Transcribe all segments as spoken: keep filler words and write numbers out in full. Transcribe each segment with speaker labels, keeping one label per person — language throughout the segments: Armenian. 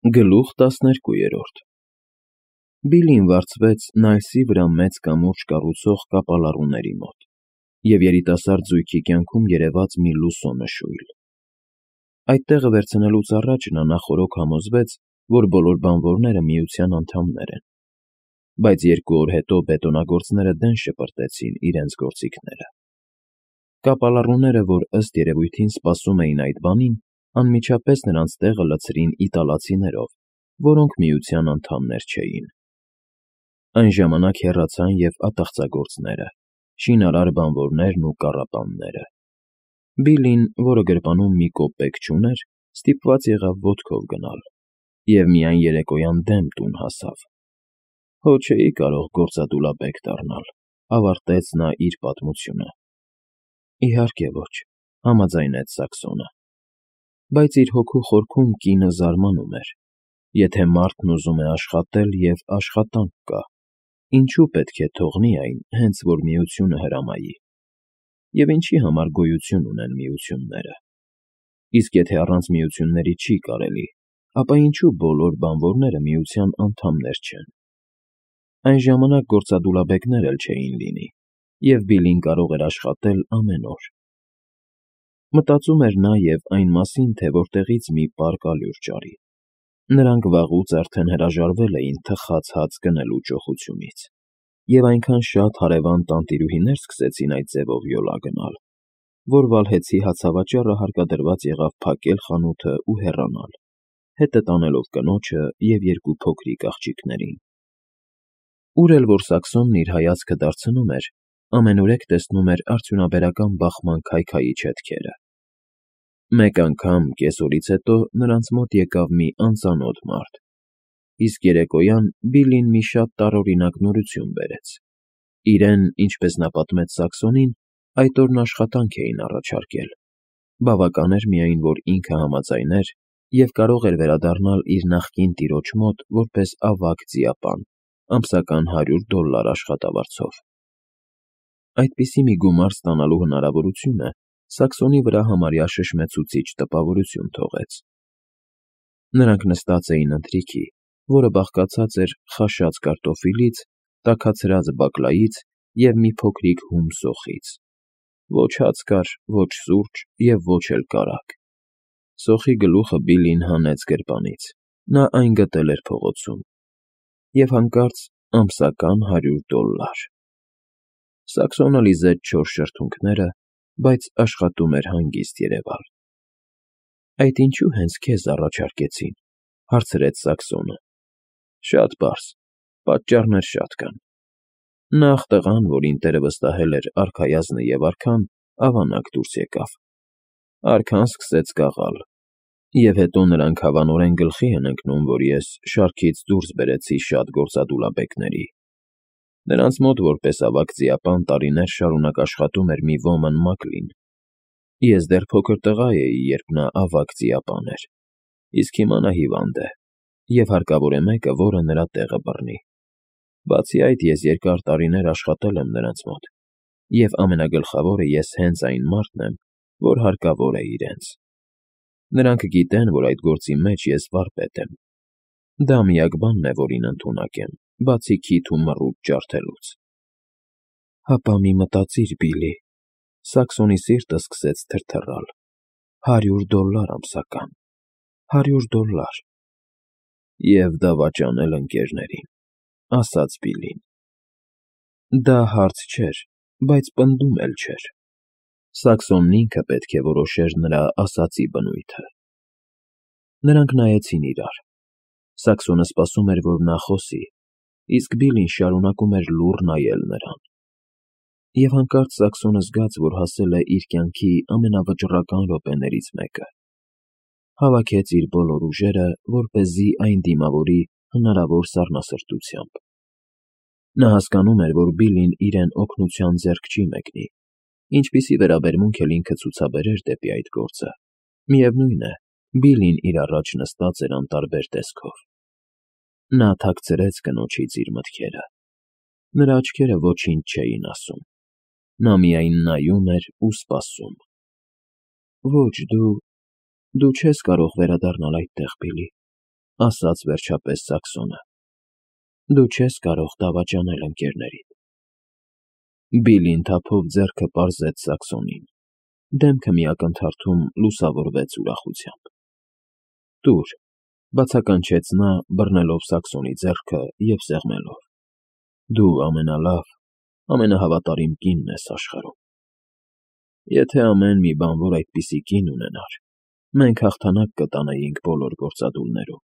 Speaker 1: Գլուխ տասներկուերորդ Բիլլին վարձվեց Նայլսի վրա մեծ կամուրջ կառուցող կապալառուների մոտ և երիտասարդ զույգի կյանքում երևաց մի լուսո նշույլ. այդ տեղը վերցնելուց առաջ նա նախօրոք համոզվեց, որ բոլոր բանվորները Միության անդամներ են, բայց երկու օր հետո բետոնագործները դեն շպրտեցին իրենց գործիքները։ Կապալառուները, որ ըստ երևույթին սպասում էին այդ բանին, անմիջապես նրանց տեղը լցրին իտալացիներով, որոնք Միության անդամներ չէին։ Այն ժամանակ հեռացան և ատաղծագործները, շինարար բանվորներն ու կառապանները։ Բիլլին, որը գրպանում մի կոպեկ չուներ, ստիպված եղավ ոտքով գնալ և միայն երեկոյան դեմ տուն հասավ։ Հո չէի կարող գործադուլաբեկ դառնալ, ավարտեց նա իր պատմությունը։ Իհարկե ոչ, համաձայնեց Սաքսոնը, բայց իր հոգու խորքում կինը զարմանում էր. եթե մարդն ուզում է աշխատել և աշխատանք կա, ինչու պետք է թողնի այն, հենց որ Միությունը հրամայի, և ինչի համար գոյություն ունեն միությունները։ Իսկ եթե առանց միությունների չի կարելի, ապա ինչու բոլոր բանվորները Միության անդամներ չեն։ Այն ժամանակ գործադուլաբեկներ էլ չէին լինի, և Բիլլին կարող էր աշխատել ամեն օր։ Մտածում էր նա և այն մասին, թե որտեղից մի պարկ ալյուր ճարի։ Նրանք վաղուց արդեն հրաժարվել էին թխած հաց գնելու ճոխությունից, և այնքան շատ հարևան տանտիրուհիներ սկսեցին այդ ձևով յոլա գնալ, որ Վալհեծի հացավաճառը հարկադրված եղավ փակել խանութն ու հեռանալ, հետը տանելով կնոջը և երկու փոքրիկ աղջիկներին։ Ուր էլ որ Սաքսոնն իր հայացքը դարձնում էր, ամենուրեք տեսնում էր արդյունաբերական բախման քայքայիչ հետքերը։ Մեկ անգամ կեսօրից հետո նրանց մոտ եկավ մի անծանոթ մարդ, իսկ երեկոյան Բիլլին մի շատ տարօրինակ նորություն բերեց. իրեն, ինչպես նա պատմեց Սաքսոնին, այդ օրն աշխատանք էին առաջարկել, բավական էր միայն, որ ինքը համաձայներ և կարող էր վերադառնալ իր նախկին տիրոջ մոտ որպես ավագ ձիապան ամսական հարյուր դոլլար աշխատավարձով։ Այդպիսի մի գումար ստանալու հնարավորությունը Սաքսոնի վրա համարյա շշմեցուցիչ տպավորություն թողեց։ Նրանք նստած էին ընթրիքի, որը բաղկացած էր խաշած կարտոֆիլից, տաքացրած բակլայից և մի փոքրիկ հում սոխից։ Ոչ հաց կար, ոչ սուրճ և ոչ էլ կարագ։ Սոխի գլուխը Բիլլին հանեց գրպանից, նա այն գտել էր փողոցում, և հանկարծ ամսական հարյուր դոլլար։ Սաքսոնը լիզեց չոր շրթունքները, բայց աշխատում էր հանգիստ երևալ։ Այդ ինչո՞ւ հենց քեզ առաջարկեցին, հարցրեց Սաքսոնը։ Շատ պարզ, պատճառներ շատ կան։ Նախ տղան, որին տերը վստահել էր արքայազնը և արքան, ավանակ դուրս եկավ։ Արքան սկսեց կաղալ, և հետո նրանք հավանորեն գլխի են ընկնում, որ ես շարքից դուրս բերեցի շատ գործադուլաբեկների։ Նրանց մոտ որպես ավագ ձիապան տարիներ շարունակ աշխատում էր մի ոմն Մակլին։ Ես դեռ փոքր տղա էի, երբ նա ավագ ձիապան էր, իսկ հիմա նա հիվանդ է, և հարկավոր է մեկը, որը նրա տեղը բռնի։ Բացի այդ, ես երկար տարիներ աշխատել եմ նրանց մոտ, և ամենագլխավորը ես հենց այն մարդն եմ, որ հարկավոր է իրենց։ Նրանք գիտեն, որ այդ գործի մեջ ես վարպետ եմ։ Դա միակ բանն է, որին ընդունակ եմ, բացի քիթ ու մռութ ջարդելուց։ Հապա մի մտածիր, Բիլլի, Սաքսոնի սիրտը սկսեց թրթռալ, հարյուր դոլլար ամսական, հարյուր դոլլար… Եվ դավաճանել ընկերներին, ասաց Բիլլին։ Դա հարց չէր, բայց պնդում էլ չէր։ Սաքսոնն ինքը պետք է որոշեր նրա ասածի բնույթը։ Նրանք նայեցին իրար։ Սաքսոնը սպասում էր, որ նա խոսի, իսկ Բիլլին շարունակում էր լուռ նայել նրան։ Եվ հանկարծ Սաքսոնը զգաց, որ հասել է իր կյանքի ամենավճռական րոպեներից մեկը։ Հավաքեց իր բոլոր ուժերը, որպեսզի այն դիմավորի հնարավոր սառնասրտությամբ։ Նա հասկանում էր, որ Բիլլին իրեն օգնության ձեռք չի մեկնի, ինչպիսի վերաբերմունք էլ ինքը ցուցաբերեր դեպի այդ գործը։ Միևնույն է, Բիլլին իր առաջ նստած էր անտարբեր տեսքով։ Նա թաքցրեց կնոջից իր մտքերը։ Նրա աչքերը ոչինչ չէին ասում։ Նա միայն նայում էր ու սպասում։ Ոչ, դու… դու չես կարող վերադառնալ այդտեղ, Բիլլի, ասաց վերջապես Սաքսոնը։ Դու չես կարող դավաճանել ընկերներիդ։ Բիլին թափով ձեռքը պարզեց Սաքսոնին, դեմքը մի ակնթարթում լուսավորվեց ուրախությամբ։ Տուր, բացականչեց նա, բռնելով Սաքսոնի ձեռքը և սեղմելով։ Դու ամենալավ, ամենահավատարիմ կինն ես աշխարհում։ Եթե ամեն մի բանվոր այդպիսի կին ունենար, մենք հաղթանակ կտանեինք բոլոր գործադուլներում։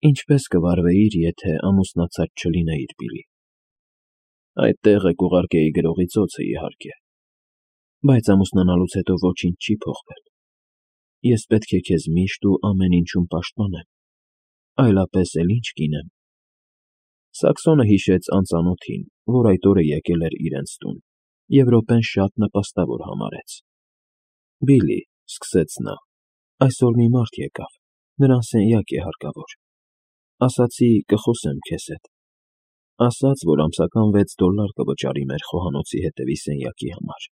Speaker 1: Ինչպե՞ս կվարվեիր, եթե ամուսնացած չլինեիր, Բիլի։ Այդ տեղը կուղարկեի գրողի ծոցը, իհարկե, բայց ամուսնանալուց հետո ոչինչ չի փոխվել։ Ես պետք է քեզ միշտ ու ամեն ինչում պաշտպանեմ, այլապես էլ ինչ կինեմ։ Սաքսոնը հիշեց անծանոթին, որ այդ օրը եկել էր իրենց տուն, և րոպեն շատ նպաստավոր համարեց։ Բիլի, սկսեց նա, այսօր մի մարդ եկավ, նրան սենյակ է հարկավոր։ Ասացի կխոսեմ քեզ հետ։ Ասաց, որ ամսական վեց դոլար կվճարի մեր խոհանոցի հետևի սենյակի համար։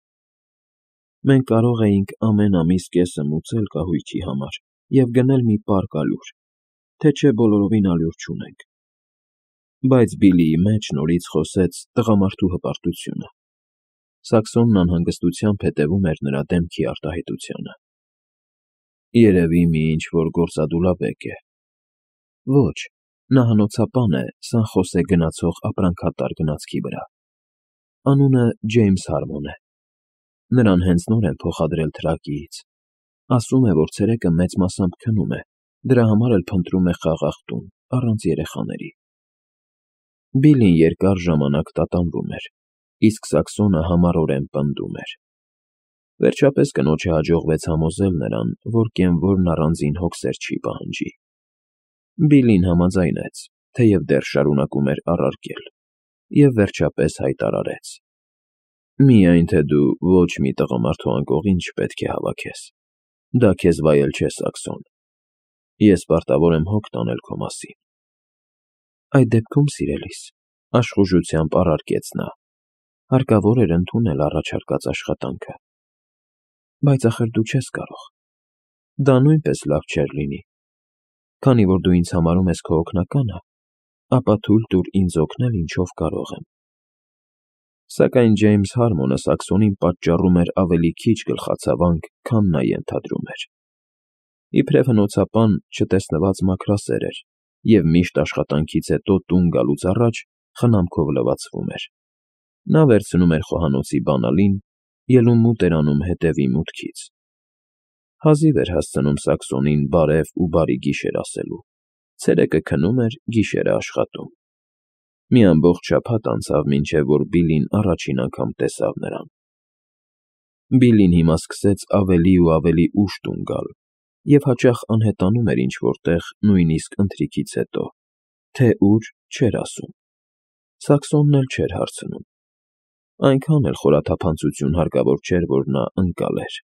Speaker 1: Մենք կարող էինք ամեն ամիս կեսը մուծել կահույքի համար և գնել մի պարկ ալյուր, թե չէ բոլորովին ալյուր չունենք։ Բայց Բիլիի մեջ նորից խոսեց տղամարդու հպարտությունը։ Սաքսոնն անհանգստությամբ հետևում էր նրա դեմքի արտահայտությանը։ Երևի մի ինչ-որ գործադուլաբեկ է։ Ոչ, նա հնոցապան է Սան Խոսե գնացող ապրանքատար գնացքի վրա։ Անունը Ջեյմս Հարմոն է։ Նրան հենց նոր են փոխադրել թրակիից։ Ասում է, որ ցերեկը մեծ մասամբ քնում է, դրա համար էլ փնտրում է խաղաղ տուն, առանց երեխաների։ Բիլին երկար ժամանակ տատանվում էր, իսկ Սաքսոնը համառորեն պնդում էր։ Վերջապես կնոջը հաջողվեց համոզել նրան, որ կենվորն առանձին հոգսեր չի պահանջի։ Բիլին համաձայնեց, թեև դեռ շարունակում էր առարկել, և վերջապես հայտարարեց. Միայն թե դու ոչ մի տղամարդու անկողին չպետք է հավաքես։ Դա քեզ վայել չէ, Սաքսոն։ Ես պարտավոր եմ հոգ տանել քո մասին։ Այդ դեպքում, սիրելիս, աշխուժությամբ առարկեց նա, հարկավոր էր ընդունել առաջարկած աշխատանքը։ Բայց ախր դու չես կարող։ Դա նույնպես լավ չէր լինի։ Քանի որ դու ինձ համարում ես քո օգնականը, ապա թույլ տուր ինձ օգնել, ինչով կարող եմ։ Սակայն Ջեյմս Հարմոնը Սաքսոնին պատճառում էր ավելի քիչ գլխացավանք, քան նա ենթադրում էր։ Իբրև հնոցապան չտեսնված մաքրասեր էր և միշտ աշխատանքից հետո տուն գալուց առաջ խնամքով լվացվում էր։ Նա վերցնում էր խոհանոցի բանալին, ելուն մութ էր անում հետևի մուտքից։ Հազիվ էր հասցնում Սաքսոնին բարև ու բարի գիշեր ասելու։ Ցերեկը քնում էր, գիշերը աշխատում։ Մի ամբողջ շաբաթ անցավ, մինչև որ Բիլին առաջին անգամ տեսավ նրան։ Բիլին հիմա սկսեց ավելի ու ավելի ուշ տուն գալ և հաճախ անհետանում էր ինչ֊որ տեղ, նույնիսկ ընթրիքից հետո, թե ուր՝ չէր ասում։ Սաքսոնն էլ չէր հարցնում։ Այնքան էլ խորաթափանցություն հարկավոր չէր, որ նա ընկալեր։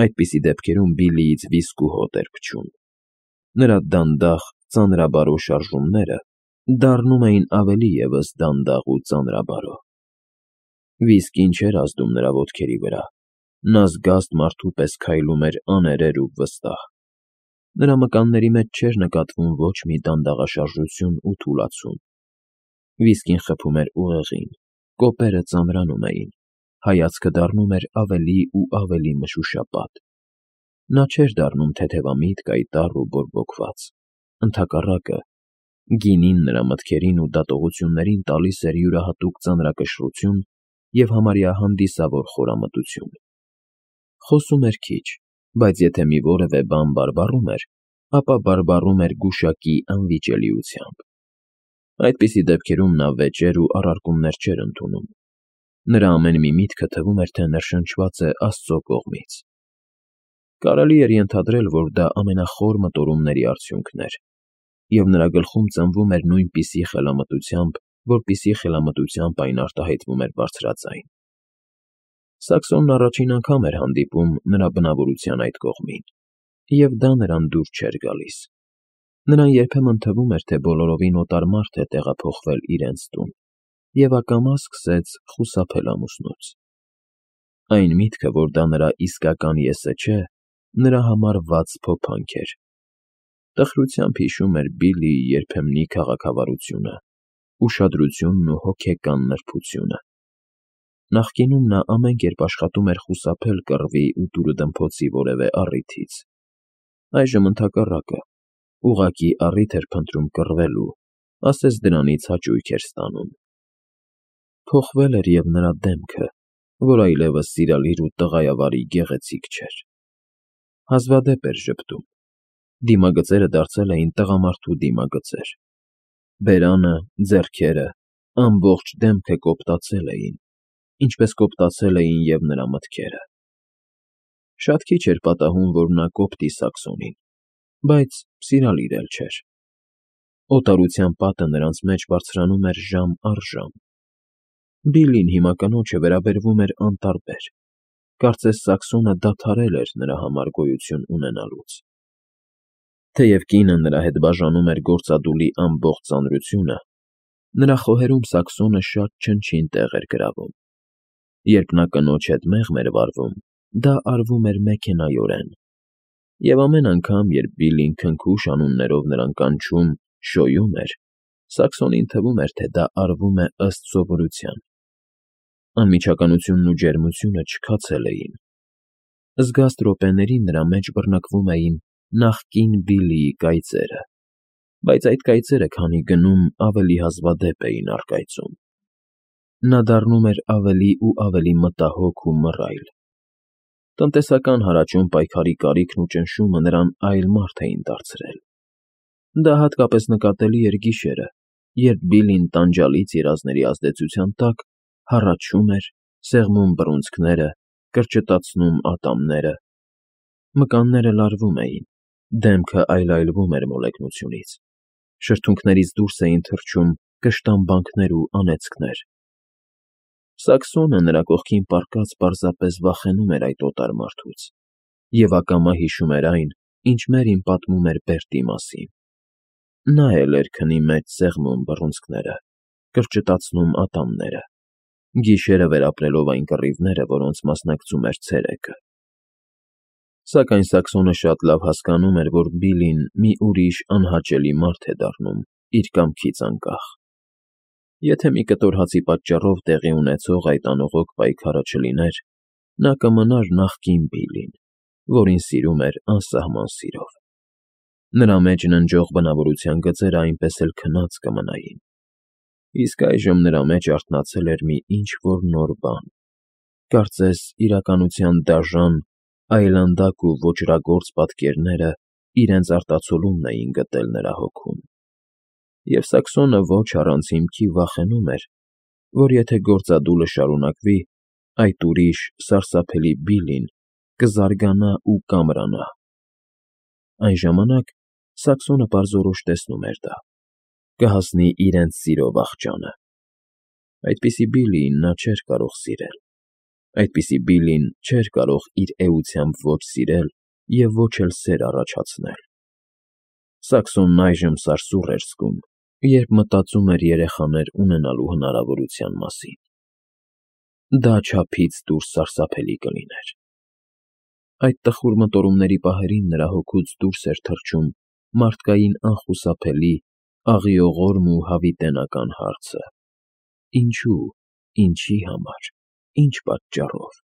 Speaker 1: Այդպիսի դեպքերում Բիլիից վիսկու հոտ էր փչում։ Նրա դանդաղ, ծանրաբարո շարժումները դառնում էին ավելի ևս դանդաղ ու ծանրաբարո։ Վիսկին չէր ազդում նրա ոտքերի վրա։ Նա զգաստ մարդու պես քայլում էր աներեր ու վստահ։ Նրա մկանների մեջ չէր նկատվում ոչ մի դանդաղաշարժություն ու թուլացում։ Վիսկին խփում էր ուղեղին, կոպերը ծանրանում էին, հայացքը դառնում էր ավելի ու ավելի մշուշապատ։ Նա չէր դառնում թեթևամիտ, կայտառ ու բորբոքված։ Ընդհակառակը, գինին նրա մտքերին ու դատողություններին տալիս էր յուրահատուկ ծանրակշռություն և համարյա հանդիսավոր խորամտություն։ Խոսում էր քիչ, բայց եթե մի որևէ բան բարբառում էր, ապա բարբառում էր գուշակի անվիճելիությամբ։ Այդպիսի դեպքերում նա վեճեր ու առարկումներ չէր ընդունում։ Նրա ամեն մի միտքը թվում էր, թե ներշնչված է Աստծո կողմից։ Կարելի էր ենթադրել, որ դա ամենախոր մտորումների արդյունքն էր, և նրա գլխում ծնվում էր նույնպիսի խելամտությամբ, որպիսի խելամտությամբ այն արտահայտվում էր բարձրաձայն։ Սաքսոնն առաջին անգամ էր հանդիպում նրա բնավորության այդ կողմին, և դա նրան դուր չէր գալիս։ Նրան երբեմն թվում էր, թե բոլորովին օտար մարդ է տեղափոխվել իրենց տուն, և ակամա սկսեց խուսափել ամուսնուց։ Այն միտքը, որ դա նրա իսկական եսը չէ, նրա համար վատ փոփանք էր։ Տխրությամբ հիշում էր Բիլլիի երբեմնի քաղաքավարությունը, ուշադրությունն ու հոգեկան նրբությունը։ Նախկինում նա ամեն կերպ աշխատում էր խուսափել կռվի ու դուրըդմփոցի որևէ առիթից, այժմ ընդհակառակը, ուղղակի առիթ էր փնտրում կռվելու, ասես դրանից հաճույք էր ստանում։ Փոխվել էր և նրա դեմքը, որ այլևս սիրալիր ու տղայավարի գեղեցիկ չէր։ Հազվադեպ էր ժպտում, դիմագծերը դարձել էին տղամարդու դիմագծեր։ Բերանը, ձեռքերը, ամբողջ դեմքը կոպտացել էին, ինչպես կոպտացել էին և նրա մտքերը։ Շատ քիչ էր պատահում, որ նա կոպտի Սաքսոնին, բայց սիրալիր էլ չէր։ Օտարության պատը նրանց մեջ բարձրանում էր ժամ առ ժամ։ Բիլլին հիմա կնոջը վերաբերվում էր անտարբեր, կարծես Սաքսոնը դադարել էր նրա համար գոյություն ունենալուց։ Թեև կինը նրա հետ բաժանում էր գործադուլի ամբողջ ծանրությունը, նրա խոհերում Սաքսոնը շատ չնչին տեղ էր գրավում։ Երբ նա կնոջ հետ մեղմ էր վարվում, դա արվում էր մեքենայորեն, և ամեն անգամ, երբ Բիլլին քնքուշ անուններով նրան կանչում, շոյում էր, Սաքսոնին թվում էր, թե դա արվում է ըստ սովորության։ Անմիջականությունն ու ջերմությունը չքացել էին։ Զգաստ րոպեներին նրա մեջ բռնկվում էին նախկին Բիլլիի կայծերը, բայց այդ կայծերը քանի գնում ավելի հազվադեպ էին առկայծում։ Նա դառնում էր ավելի ու ավելի մտահոգ ու մռայլ։ Տնտեսական հարաճուն պայքարի կարիքն ու ճնշումը նրան այլ մարդ էին դարձրել։ Դա հատկապես նկատելի էր գիշերը, երբ Բիլլին տանջալից երազների ազդեցության տակ հառաչում էր, սեղմում բռունցքները, կրճտացնում ատամները։ Մկանները լարվում էին, դեմքը այլայլվում էր մոլեգնությունից, շրթունքներից դուրս էին թռչում կշտամբանքներ ու անեծքներ։ Սաքսոնը նրա կողքին պառկած պարզապես վախենում էր այդ օտար մարդուց և ակամա հիշում էր այն, ինչ Մերին պատմում էր Բերտի մասին։ Նա էլ էր քնի մեջ սեղմում բռունցքները, կրճտացնում ատամները, գիշերը վերապրելով այն կռիվները, որոնց մասնակցում էր ցերեկը։ Սակայն Սաքսոնը շատ լավ հասկանում էր, որ Բիլլին մի ուրիշ անհաճելի մարդ է դառնում իր կամքից անկախ։ Եթե մի կտոր հացի պատճառով տեղի ունեցող այդ անողոք պայքարը չլիներ, նա կմնար նախկին Բիլլին, որին սիրում էր անսահման սիրով։ Նրա մեջ ննջող բնավորության գծերը այնպես էլ քնած կմնային։ Իսկ այժմ նրա մեջ արթնացել էր մի ինչ֊որ նոր բան, կարծես իրականության դաժան, այլանդակ ու ոճրագործ պատկերները իրենց արտացոլումն էին գտել նրա հոգում։ Եվ Սաքսոնը ոչ առանց հիմքի վախենում էր, որ եթե գործադուլը շարունակվի, այդ ուրիշ, սարսափելի Բիլլին կզարգանա ու կամրանա։ Այն ժամանակ Սաքսոնը պարզորոշ տեսնում էր դա. կհասնի իրենց սիրո վախճանը։ Այդպիսի Բիլլիին նա չէր կարող սիրել։ Այդպիսի Բիլլին չէր կարող իր էությամբ ոչ սիրել և ոչ էլ սեր առաջացնել։ Սաքսոնն այժմ սարսուռ էր զգում, երբ մտածում էր երեխաներ ունենալու հնարավորության մասին։ Դա չափից դուրս սարսափելի կլիներ։ Այդ տխուր մտորումների պահերին նրա հոգուց դուրս էր թռչում մարդկային անխուսափելի, աղիողորմ ու հավիտենական հարցը. ինչո՞ւ, ինչի համար, ինչ պատճառով։